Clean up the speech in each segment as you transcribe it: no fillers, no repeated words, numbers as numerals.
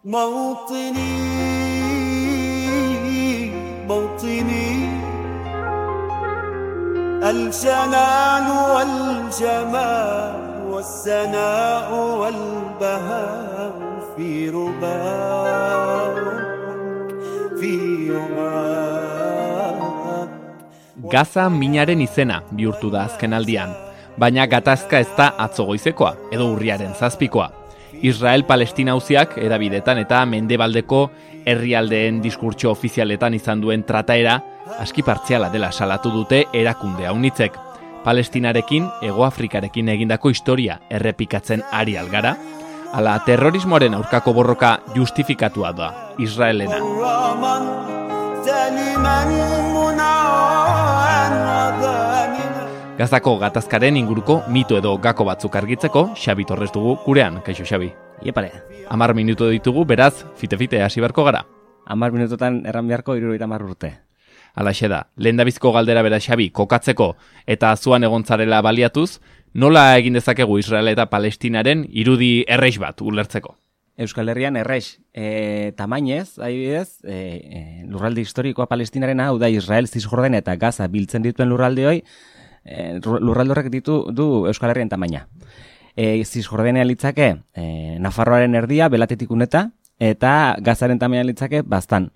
موطني الجلال والجمال والثناء والبهاء في رباك Gaza minaren izena bihurtu da azken aldian, baina gatazka ez da atzo goizekoa edo urriaren 7koa. Israel-Palestina auziak edabidetan eta mendebaldeko herrialdeen diskurtso ofizialetan izan duen trataera aski partziala dela salatu dute erakunde haunitzek. Palestinarekin, Hegoafrikarekin egindako historia errepikatzen ari algara, ala terrorismoaren aurkako borroka justifikatua da Israelena. Gazako gatazkaren inguruko mito edo gako batzuk argitzeko, Xabi Torres dugu gurean, kaixo Xabi. Iepare. 10 minutu ditugu, beraz, fite-fite hasi beharko gara. 10 minutotan erran beharko 70 urte. Alaxe da, lehendabiziko galdera bera Xabi, kokatzeko eta zuan egontzarela baliatuz, nola egin dezakegu Israel eta Palestinaren irudi erreix bat ulertzeko? Euskal Herrian erreix, tamainez, adibidez, lurralde historikoa Palestinarena, hau da Israel, Zisjordania eta Gaza biltzen dituen lurralde hoi, lurralde horrek du Euskal Herrian tamaina. Zisjordania litzake Nafarroaren erdia, belatetik uneta, eta Gazaren tamaina litzake bastan.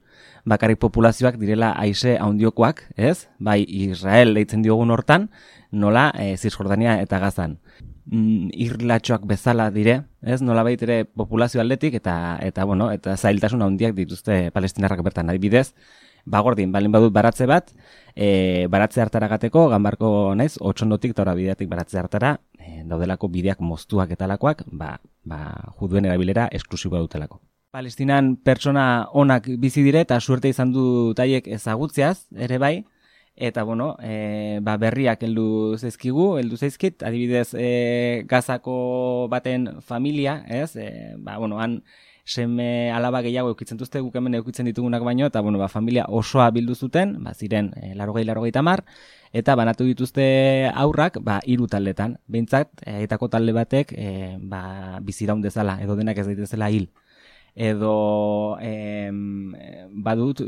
Bakarrik populazioak direla haize handiokoak, ez? Bai Israel deitzen diogun hortan, nola Zisjordania eta Gazan. Irlatxoak bezala dire, ez? Nola ere populazio aldetik eta zailtasun handiak dituzte palestinarrak bertan. Adibidez, bagordin, balin badut baratze bat, baratze hartara gateko, ganbarko naiz, otxondotik eta bideatik baratze hartara, daudelako bideak moztuak eta lakoak, juduen erabilera esklusiboa dutelako. Palestinan pertsona onak bizi dire eta suerte izan du taiek ezagutzeaz, ere bai, eta berriak heldu zaizkit, adibidez Gazako baten familia, ez? Han seme alaba gehiago eukitzen duzte, guk hemen eukitzen ditugunak baino, eta familia osoa bildu zuten, ziren 80-90, eta banatu dituzte aurrak 3 taldetan. Behintzat, etako talde batek biziraun dezala, edo denak ez daitezela hil. Edo badut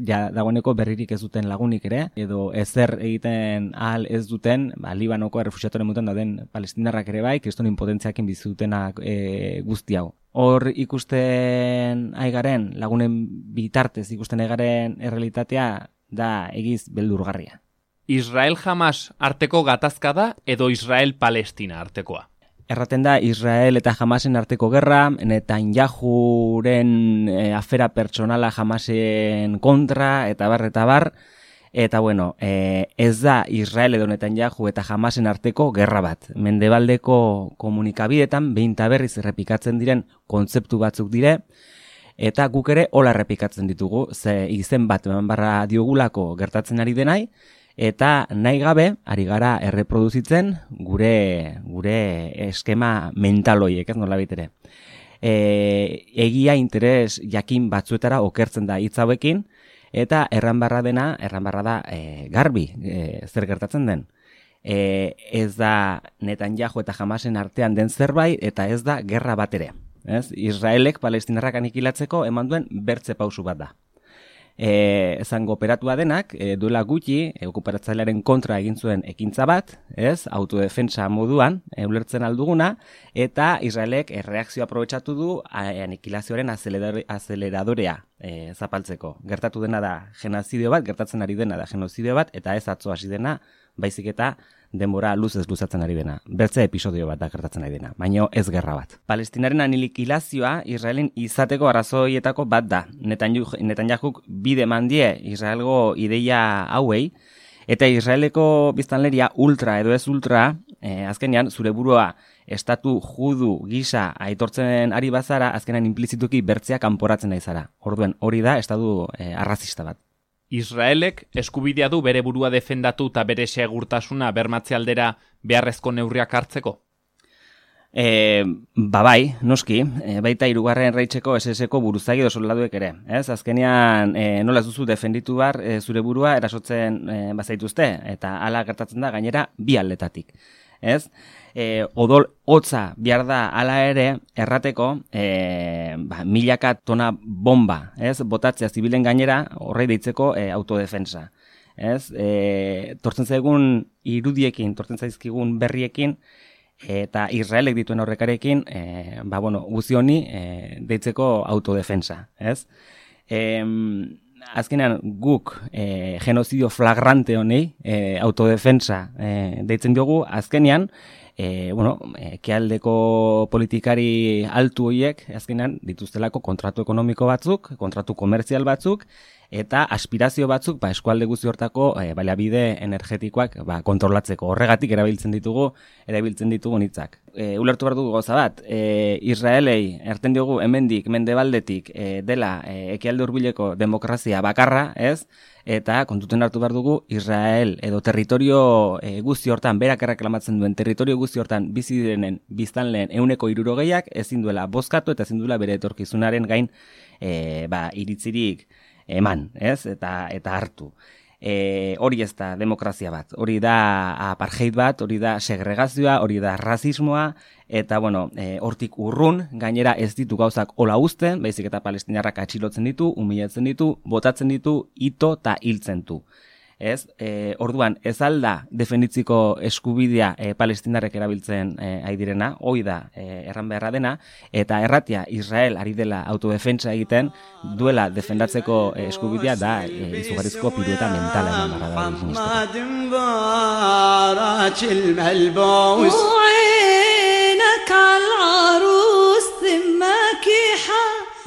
dagoeneko berririk ez duten lagunik ere, edo ezer egiten ahal ez duten Libanoko errefuxiatuaren mutan dauden palestinarrak ere bai, kriston impotentziakin bizi dutenak guzti hau. Hor ikusten aigaren, lagunen bitartez ikusten aigaren errealitatea da egiz beldurgarria. Israel-Hamas arteko gatazka da edo Israel-Palestina artekoa? Erraten da Israel eta Hamasen arteko gerra, Netanyahuren afera pertsonala Hamasen kontra, eta bar, eta ez da Israel edo Netanyahu eta Hamasen arteko gerra bat. Mendebaldeko komunikabidetan behin eta berriz errepikatzen diren kontzeptu batzuk dire, eta guk ere hola errepikatzen ditugu, ze izen bat eman barra diogulako gertatzen ari denai, eta nahi gabe, ari gara erreproduzitzen gure eskema mentaloiek, ez nola bitere. Egia interes jakin batzuetara okertzen da hitz hauekin, eta erran barra da garbi zer gertatzen den. Ez da Netanyahu eta Hamasen artean den zerbait, eta ez da gerra bat ere. Israelek palestinarrak anikilatzeko eman duen bertze pausu bat da. Zango operatua denak, duela gutxi, okuparatzailearen kontra egin zuen ekintza bat, autodefentsa moduan, ulertzen alduguna, eta Israelek erreakzio aprobetxatu du anikilazioaren azeleradorea zapaltzeko. Gertatu dena da genozidio bat, gertatzen ari dena da genozidio bat, eta ez atzo hasi dena, baizik eta denbora luzez luzatzen ari dena. Bertze episodio bat da gertatzen ari dena, baino ez gerra bat. Palestinaren anikilazioa Israelen izateko arrazoietako bat da. Netanyahuk bide mandie Israelgo ideia hauei, eta Israeleko biztanleria ultra edo ez ultra, azkenean zure burua estatu judu gisa aitortzen ari bazara, azkenean implizituki bertzea kanporatzen nahi zara. Orduen, hori da estatu arrazista bat. Israelek eskubidea du bere burua defendatu eta bere segurtasuna bermatze aldera beharrezko neurriak hartzeko? Bai, noski, baita 3. Reicheko SS-ko buruzagi edo soldaduek ere. Azkenean, nola ez duzu defenditu zure burua erasotzen bazaituzte, eta hala gertatzen da gainera bi aldetatik. ez? Odol hotza behar da hala ere errateko milaka tona bomba, ez? Botatzea zibilen gainera horrei deitzeko autodefensa. Ez? Tortzen zaigun irudiekin, tortzen zaizkigun berriekin, eta Israelek dituen aurrekarekin, guzi honi deitzeko autodefensa, ez? Azkenean guk genozidio flagrante honi autodefensa deitzen diogu, azkenean ekialdeko politikari altu horiek azkenean dituztelako kontratu ekonomiko batzuk, kontratu komertzial batzuk, eta aspirazio batzuk eskualde guzti hortako baliabide energetikoak kontrolatzeko. Horregatik erabiltzen ditugu hitzak. Ulertu behar dugu gauza bat, Israelei erten diogu hemendik mendebaldetik dela ekialde hurbileko demokrazia bakarra, ez? Eta kontuten hartu behar dugu Israel edo territorio guzti hortan, berak erreklamatzen duen territorio guzti hortan bizi direnen biztanleen 60%ak ezin duela bozkatu eta ezin duela bere etorkizunaren gain iritzirik eman, ez? Eta hartu. Hori ez da demokrazia bat, hori da apartheid bat, hori da segregazioa, hori da rasismoa, eta hortik urrun, gainera ez ditu gauzak hola uzten, baizik eta palestinarrak atxilotzen ditu, humilatzen ditu, botatzen ditu, ito eta hiltzen du. Ez? Orduan, ez alda defenditziko eskubidea palestinarrek erabiltzen ari direna, hoi da erran beharra dena, eta erratia Israel ari dela autodefentsa egiten, duela defendatzeko eskubidea da izugarrizko pirueta mentala eman barra da.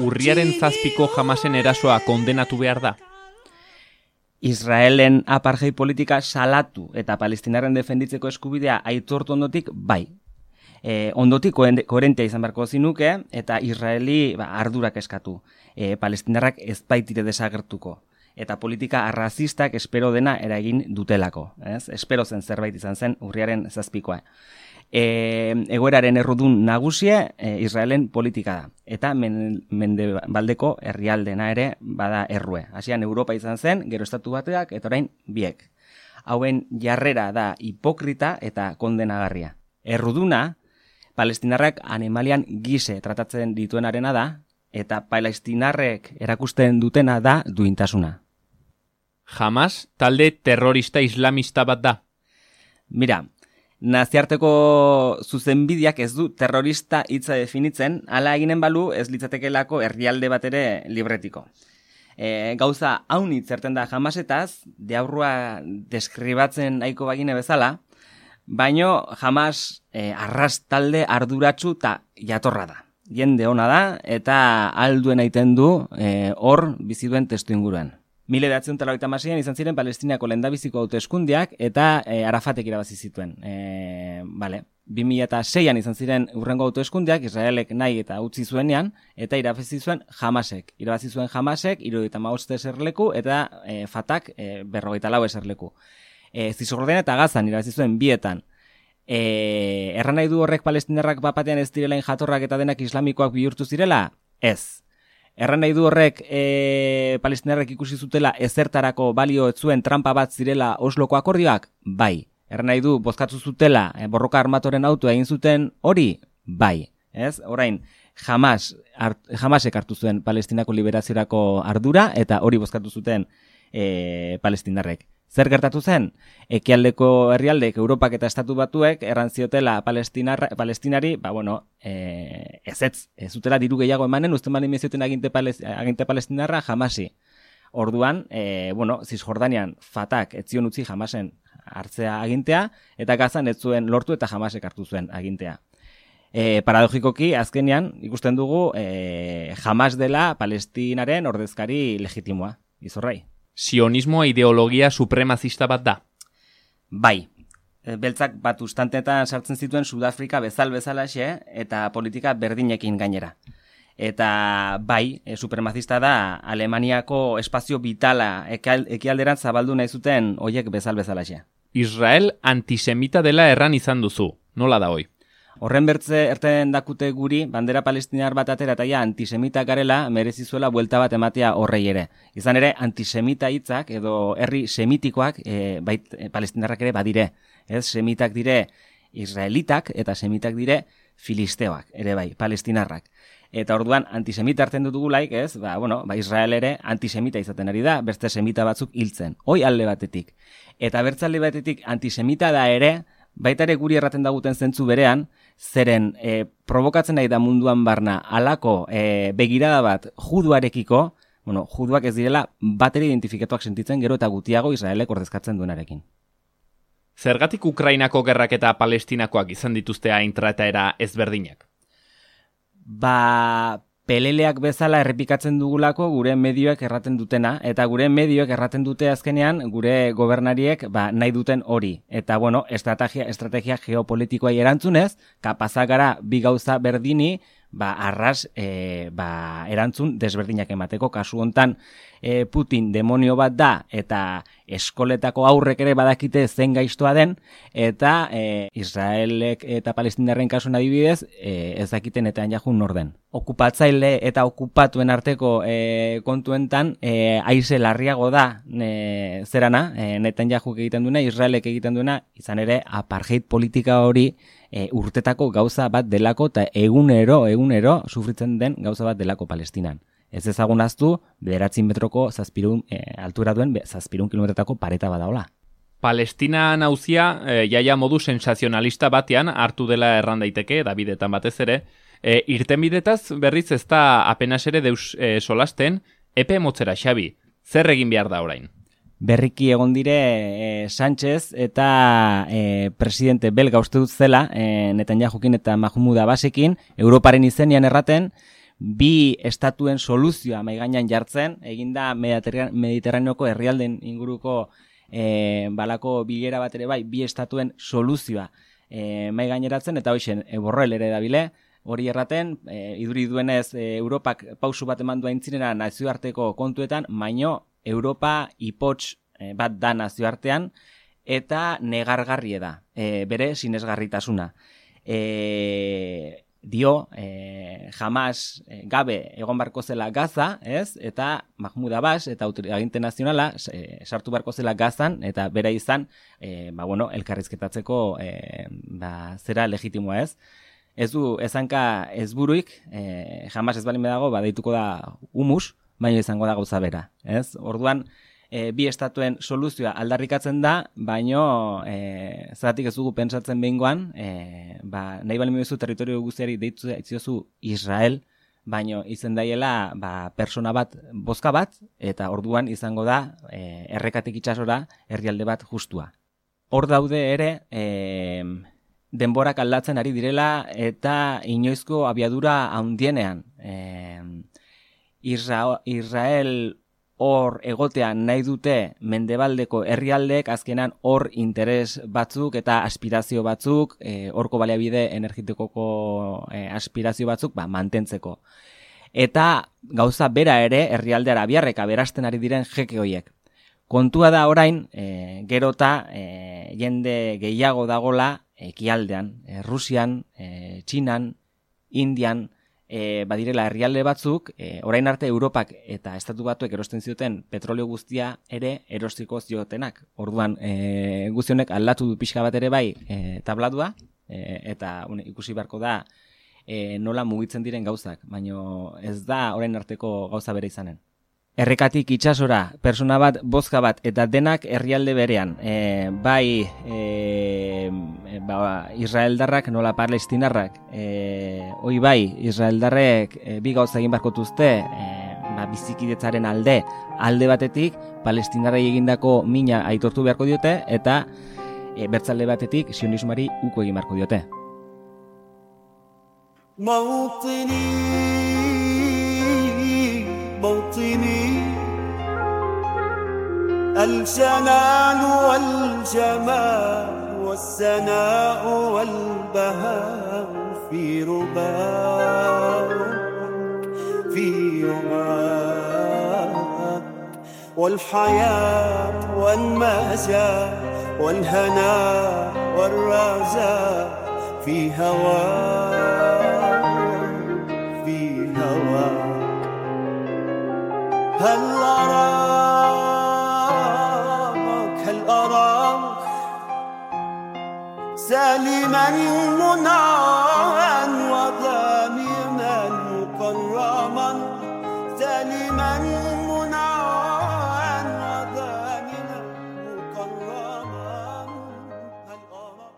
Urriaren 7ko Hamasen erasoa kondenatu behar da. Israelen apartheid politika salatu eta palestinarren defenditzeko eskubidea aitortu ondotik, bai. Ondotik koherentea izan beharko zinuke, eta Israeli ardurak eskatu. Palestinarrak ez baitire desagertuko. Eta politika arrazistak espero dena eragin dutelako. Ez? Espero zen zerbait izan zen urriaren 7koa. Egoeraren errudun nagusie Israelen politika da. Eta mendebaldeko herrialdena ere bada errue. Hasian Europa izan zen, gero Estatu Batuak, eta orain biek. Hauen jarrera da hipokrita eta kondenagarria. Erruduna, palestinarrak animalian gise tratatzen dituenarena da, eta palestinarrek erakusten dutena da duintasuna. Hamas talde terrorista islamista bat da. Mira, naziarteko zuzenbideak ez du terrorista hitza definitzen, hala eginen balu ez litzatekelako herrialde bat ere libretiko. Gauza haun hitzerten da Hamasetaz, deaurrua deskribatzen nahiko bagine bezala, baino Hamas arras talde arduratsu eta jatorra da. Jende ona da eta alduen aiten du hor bizi duen testu inguruan. 1986an izan ziren Palestinako lehendabiziko hauteskundeak eta Arafatek irabazi zituen. 2006an izan ziren hurrengo hauteskundeak, Israelek nahi eta utzi zuenean, eta irabazi zuen Hamasek. Irabazi zuen Hamasek 75 eserleku eta Fatak 54 eserleku. Zisjordania eta Gazan irabazi zuen bietan. Erran nahi du horrek palestinarrak bapatean ez direlain jatorrak eta denak islamikoak bihurtu zirela? Ez. Erran nahi du horrek palestinarrek ikusi zutela ezertarako balio ez zuen trampa bat zirela Osloko akordioak? Bai. Erran nahi du bozkatu zutela borroka armatoren auto egin zuten hori? Bai. Ez? Orain, Hamasek hartu zuen Palestinako liberaziorako ardura eta hori bozkatu zuten palestinarrek. Zer gertatu zen? Ekialdeko herrialdek, Europak eta Estatu Batuek erran ziotela palestinari, ezetz, ez zutela diru gehiago emanen, usten bali mezioten aginte palestinarra Hamasi. Orduan, Zisjordanian Fatak etzion utzi Hamasen hartzea agintea, eta Gazan ez zuen lortu eta Hamasek hartu zuen agintea. Paradogikoki, azkenean, ikusten dugu, Hamas dela Palestinaren ordezkari legitimoa, izorrai. Sionismoa ideologia supremazista bat da. Bai. Beltzak bat ustantetan sartzen zituen Sudafrika bezalaxe eta politika berdinekin gainera. Eta bai, supremazista da Alemaniako espazio vitala ekialderan zabaldu nahi zuten hoiek bezalaxe. Israel antisemita dela erran izan duzu. Nola da hoi? Horren bertze erten dakute guri, bandera palestinar bat atera eta antisemita garela merezi zuela buelta bat ematea horrei ere. Izan ere, antisemita hitzak edo herri semitikoak palestinarrak ere badire. Ez, semitak dire israelitak eta semitak dire filisteoak, ere bai, palestinarrak. Eta orduan antisemita hartzen dutugulaik, ez? Israel ere antisemita izaten ari da, beste semita batzuk hiltzen. Hoi alde batetik. Eta bertzalde batetik antisemita da ere, baita ere guri erraten daguten zentzu berean, zeren provokatzen nahi da munduan barna alako begirada bat juduarekiko, juduak ez direla bateri identifikatuak sentitzen gero eta gutiago Israelek ordezkatzen duenarekin. Zergatik Ukrainako gerrak eta Palestinakoak izan dituzte hain trataera ezberdinak? Peleleak bezala errepikatzen dugulako gure medioek erraten dutena, eta gure medioek erraten dute azkenean gure gobernariek nahi duten hori. Eta estrategia geopolitikoa erantzunez, kapazak gara bi gauza berdini, arras erantzun desberdinak emateko. Kasu hontan Putin demonio bat da, eta eskoletako aurrek ere badakite zen gaiztoa den, eta Israelek eta Palestinarren kasuan adibidez, ez dakiten eta jajun nor den. Okupatzaile eta okupatuen arteko kontuentan haize larriago da Netanyahu egiten duena, Israelek egiten duena, izan ere apartheid politika hori urtetako gauza bat delako eta egunero sufritzen den gauza bat delako Palestinan. Ez ezagun aztu, 9 metroko altura duen 7 kilometretako pareta badaola. Palestina nauzia jaia modu sensazionalista batean hartu dela erran daiteke, Davidetan batez ere, irtenbidetaz berriz ez da apenas ere deus solasten, epe motzera Xabi, zer egin behar da orain? Berriki egon dire Sánchez eta presidente belga uste dut zela, Netanyahukin eta Mahmoud Abbasekin, Europaren izenean erraten, bi estatuen soluzioa maigainan jartzen, eginda Mediterraneoko herrialden inguruko balako bilera bat ere bai, bi estatuen soluzioa maigaineratzen, eta hoixen Borrell ere dabile, hori erraten, iduri duenez Europak pausu bat eman duen txinera nazioarteko kontuetan, baino Europa ipots bat da nazioartean, eta negargarrie da, bere sinesgarritasuna. Hamas gabe egon barko zela Gaza, ez? Eta Mahmoud Abbas eta aginte nazionala sartu barko zela Gazan, eta bera izan, elkarrizketatzeko zera legitimoa, ez? Ez du ezanka ezburuik, Hamas ez balin bedago, deituko da humus, baina izango da gauza bera, ez? Orduan, bi estatuen soluzioa aldarrikatzen da, baino zeratik ez dugu pentsatzen behingoan, nahi balin beduzu territorio guztiari deitu etziozu Israel, baino izen daiela persona bat, bozka bat, eta orduan izango da errekatik itsasora herrialde bat justua. Hor daude ere, denborak aldatzen ari direla eta inoizko abiadura handienean. Israel hor egotean nahi dute mendebaldeko herrialdeek azkenan hor interes batzuk eta aspirazio batzuk, horko baliabide energetikoko aspirazio batzuk mantentzeko. Eta gauza bera ere herrialde arabiarrek aberasten ari diren jeke hoiek. Kontua da orain, gerota jende gehiago dagola ekialdean, Rusian, Txinan, Indian, badirela herrialde batzuk, orain arte Europak eta Estatu Batuek erosten zioten petrolio guztia ere erostiko ziotenak. Orduan, guztionek aldatu du pixka bat ere bai tablatua, eta ikusi beharko da nola mugitzen diren gauzak, baino ez da orain arteko gauza bere izanen. Errekatik itsasora, persona bat, bozka bat, eta denak herrialde berean. Israeldarrak nola palestinarrak. Hoi bai, Israeldarrek bi gauza egin barko duzte, bizikidetzaren alde batetik, palestinarrei egindako mina aitortu beharko diote, eta bertzalde batetik sionismoari uko egin beharko diote. موطني الجنان والجمال والسناء والبهاء في رباك في يومك والحياة والمجال والهناء والرجاء في هواك في هواك هل أراك سالي كريما منعا وضامنا مكرما سالما